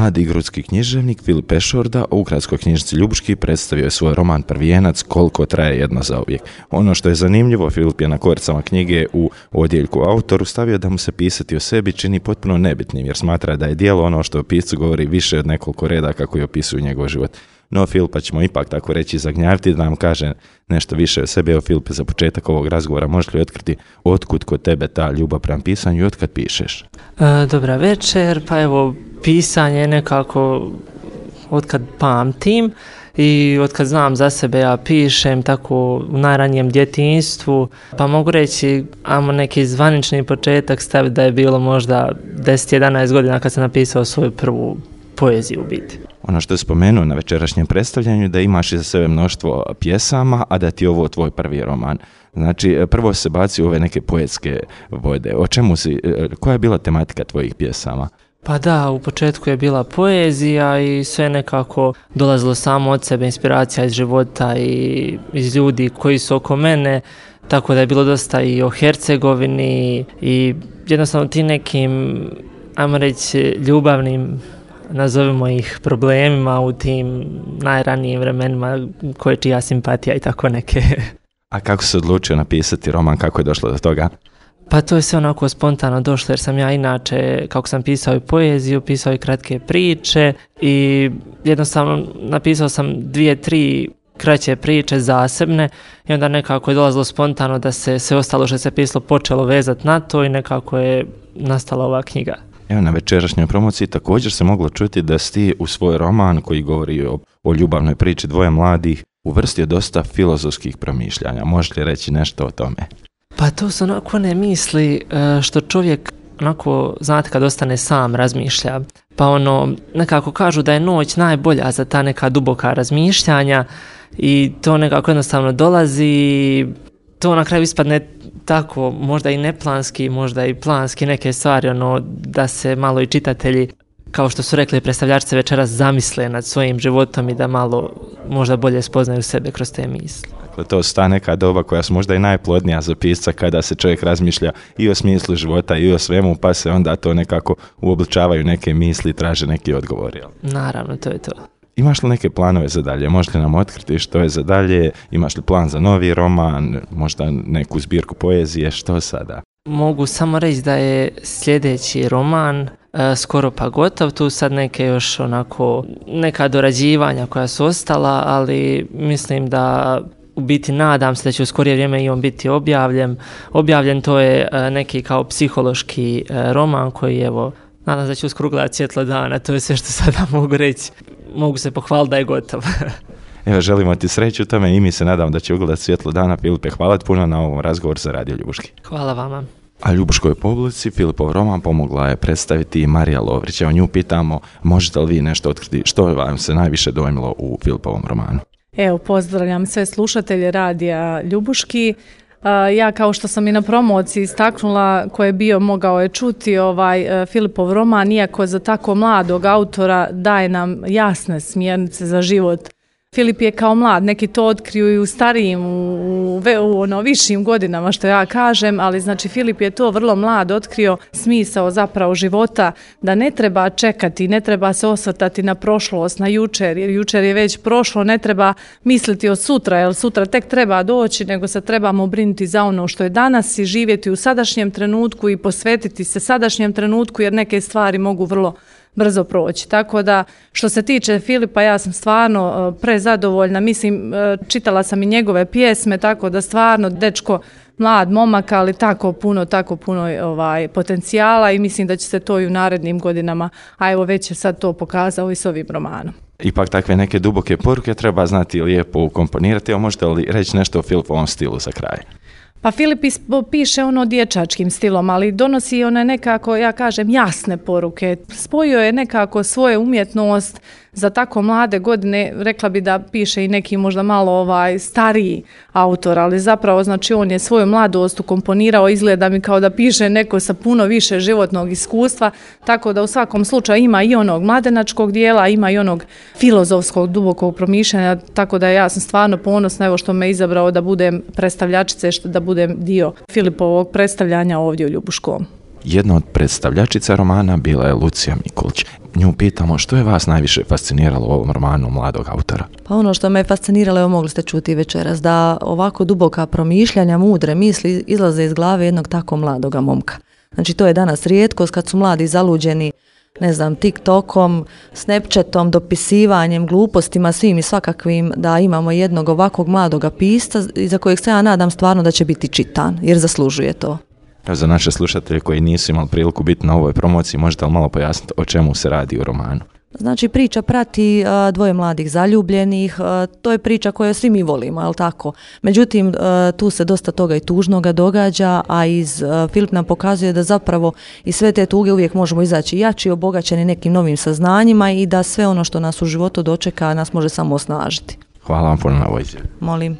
Mladi grudski književnik Filip Pešorda u ukratskoj knjižici Ljubuški predstavio je svoj roman Prvijenac Koliko traje jedno zauvijek. Ono što je zanimljivo, Filip je na koricama knjige u odjeljku autoru stavio da mu se pisati o sebi čini potpuno nebitnim, jer smatra da je djelo ono što o piscu govori više od nekoliko redaka koji opisuju njegov život. No, Filipa ćemo ipak tako reći zagnjaviti da nam kaže nešto više o sebi. Evo, Filipe, za početak ovog razgovora možeš li otkriti otkud kod tebe ta ljubav prema pisanju i otkad pišeš? Dobra večer, pa evo, pisanje je nekako otkad pamtim i otkad znam za sebe ja pišem tako u najranijem djetinjstvu, pa mogu reći, ajmo neki zvanični početak staviti da je bilo možda 10-11 godina kad sam napisao svoju prvu poeziju u biti. Ono što je spomenuo na večerašnjem predstavljanju da imaš iza sebe mnoštvo pjesama, a da ti je ovo tvoj prvi roman. Znači, prvo se baci u ove neke poetske vode. Koja je bila tematika tvojih pjesama? Pa da, u početku je bila poezija i sve nekako dolazilo samo od sebe, inspiracija iz života i iz ljudi koji su oko mene, tako da je bilo dosta i o Hercegovini i jednostavno ti nekim, ajmo reći, ljubavnim, nazovimo ih, problemima u tim najranijim vremenima koje čija simpatija i tako neke. A kako se odlučio napisati roman, kako je došlo do toga? Pa to je sve onako spontano došlo, jer sam ja inače, kako sam pisao i poeziju, pisao i kratke priče i jednostavno napisao sam 2-3 kraće priče zasebne i onda nekako je dolazilo spontano da se sve ostalo što se pisalo počelo vezati na to i nekako je nastala ova knjiga. Evo, na večerašnjoj promociji također se moglo čuti da si ti u svoj roman koji govori o ljubavnoj priči dvoje mladih uvrstio dosta filozofskih promišljanja. Možeš li reći nešto o tome? Pa to su onako one misli što čovjek onako, znate, kad ostane sam razmišlja. Pa nekako kažu da je noć najbolja za ta neka duboka razmišljanja i to nekako jednostavno dolazi. To na kraju ispadne tako, možda i neplanski, možda i planski neke stvari, da se malo i čitatelji, kao što su rekli predstavljačice večeras, zamisle nad svojim životom i da malo možda bolje spoznaju sebe kroz te misli. Dakle, to su ta neka doba koja su možda i najplodnija za pisca kada se čovjek razmišlja i o smislu života i o svemu, pa se onda to nekako uobličavaju neke misli i traže neki odgovor. Jel? Naravno, to je to. Imaš li neke planove za dalje? Možeš li nam otkriti što je za dalje? Imaš li plan za novi roman? Možda neku zbirku poezije? Što sada? Mogu samo reći da je sljedeći roman skoro pa gotov. Tu sad neke još neka dorađivanja koja su ostala, ali mislim da u biti nadam se da će u skorije vrijeme i on biti objavljen. To je neki kao psihološki roman koji nadam se da će uskoro ugledati svjetlo dana. To je sve što sada mogu reći. Mogu se pohvaliti da je gotov. Evo, želimo ti sreću u tome i mi se nadam da će ugledati svjetlo dana. Filipe, hvala ti puno na ovom razgovoru za Radio Ljubuški. Hvala vama. A Ljubuškoj publici Filipov roman pomogla je predstaviti i Marija Lovrić. Evo, nju pitamo, možete li vi nešto otkriti što vam se najviše dojmilo u Filipovom romanu? Evo, pozdravljam sve slušatelje Radija Ljubuški. Ja, kao što sam i na promociji istaknula, ko je bio mogao je čuti Filipov roman, iako za tako mladog autora daje nam jasne smjernice za život. Filip je kao mlad, neki to otkriju i u starijim, u višim godinama, što ja kažem, ali znači Filip je to vrlo mlad otkrio smisao zapravo života, da ne treba čekati, ne treba se osvrtati na prošlost, na jučer, jer jučer je već prošlo, ne treba misliti o sutra, jer sutra tek treba doći, nego se trebamo brinuti za ono što je danas i živjeti u sadašnjem trenutku i posvetiti se sadašnjem trenutku, jer neke stvari mogu vrlo brzo proći. Tako da, što se tiče Filipa, ja sam stvarno prezadovoljna. Mislim, čitala sam i njegove pjesme, tako da stvarno dečko, mlad momak, ali tako puno potencijala i mislim da će se to i u narednim godinama, a evo već je sad to pokazao i s ovim romanom. Ipak takve neke duboke poruke treba znati lijepo ukomponirati. Evo, možete li reći nešto o Filipovom stilu za kraj? Pa Filip piše dječačkim stilom, ali donosi one nekako, ja kažem, jasne poruke. Spojio je nekako svoju umjetnost za tako mlade godine, rekla bi da piše i neki možda malo stariji autor, ali zapravo znači on je svoju mladost ukomponirao, izgleda mi kao da piše neko sa puno više životnog iskustva, tako da u svakom slučaju ima i onog mladenačkog dijela, ima i onog filozofskog dubokog promišljanja, tako da ja sam stvarno ponosna evo što me izabrao da budem predstavljačice, da budem dio Filipovog predstavljanja ovdje u Ljubuškom. Jedna od predstavljačica romana bila je Lucija Mikulić. Nju pitamo što je vas najviše fasciniralo u ovom romanu mladog autora. Pa ono što me fasciniralo, evo mogli ste čuti večeras, da ovako duboka promišljanja, mudre misli izlaze iz glave jednog tako mladoga momka. Znači to je danas rijetkost kad su mladi zaluđeni, ne znam, TikTokom, Snapchatom, dopisivanjem, glupostima, svim i svakakvim, da imamo jednog ovakvog mladoga pisca za kojeg se ja nadam stvarno da će biti čitan, jer zaslužuje to. Za naše slušatelje koji nisu imali priliku biti na ovoj promociji, možete li malo pojasniti o čemu se radi u romanu? Znači priča prati dvoje mladih zaljubljenih, to je priča koju svi mi volimo, je li tako? Međutim, tu se dosta toga i tužnoga događa, a Filip nam pokazuje da zapravo iz sve te tuge uvijek možemo izaći jači, obogaćeni nekim novim saznanjima i da sve ono što nas u životu dočeka nas može samo osnažiti. Hvala vam puno na ovoj izjavi. Molim.